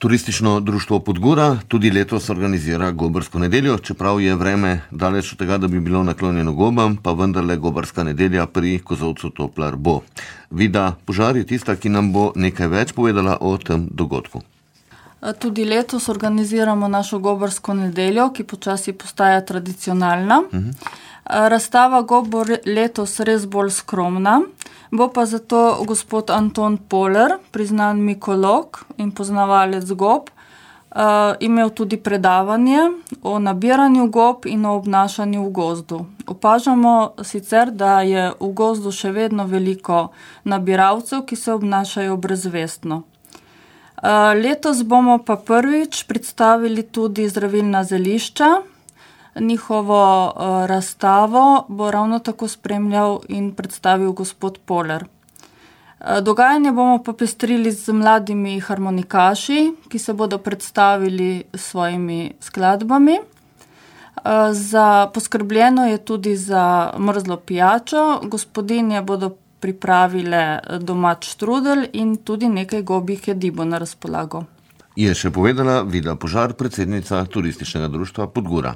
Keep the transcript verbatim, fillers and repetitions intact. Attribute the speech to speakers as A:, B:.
A: Turistično društvo Podgora tudi letos organizira gobarsko nedeljo, čeprav je vreme daleč od tega, da bi bilo naklonjeno gobam, pa vendarle gobarska nedelja pri kozolcu Toplar bo. Vida Požar je tista, ki nam bo nekaj več povedala o tem dogodku.
B: Tudi letos organiziramo našo gobarsko nedeljo, ki počasi postaja tradicionalna. Uh-huh. Razstava gob bo letos res bolj skromna, bo pa zato gospod Anton Poler, priznan mikolog in poznavalec gob, imel tudi predavanje o nabiranju gob in o obnašanju v gozdu. Opažamo sicer, da je v gozdu še vedno veliko nabiralcev, ki se obnašajo brezvestno. Letos bomo pa prvič predstavili tudi zdravilna zelišča. Njihovo razstavo bo ravno tako spremljal in predstavil gospod Poler. Dogajanje bomo popestrili z mladimi harmonikaši, ki se bodo predstavili s svojimi skladbami. Za poskrbljeno je tudi za mrzlo pijačo. Gospodinje bodo pripravile domač štrudel in tudi nekaj gobjih jedi bo na razpolago.
A: Je še povedala Vida Požar, predsednica Turističnega društva Podgora.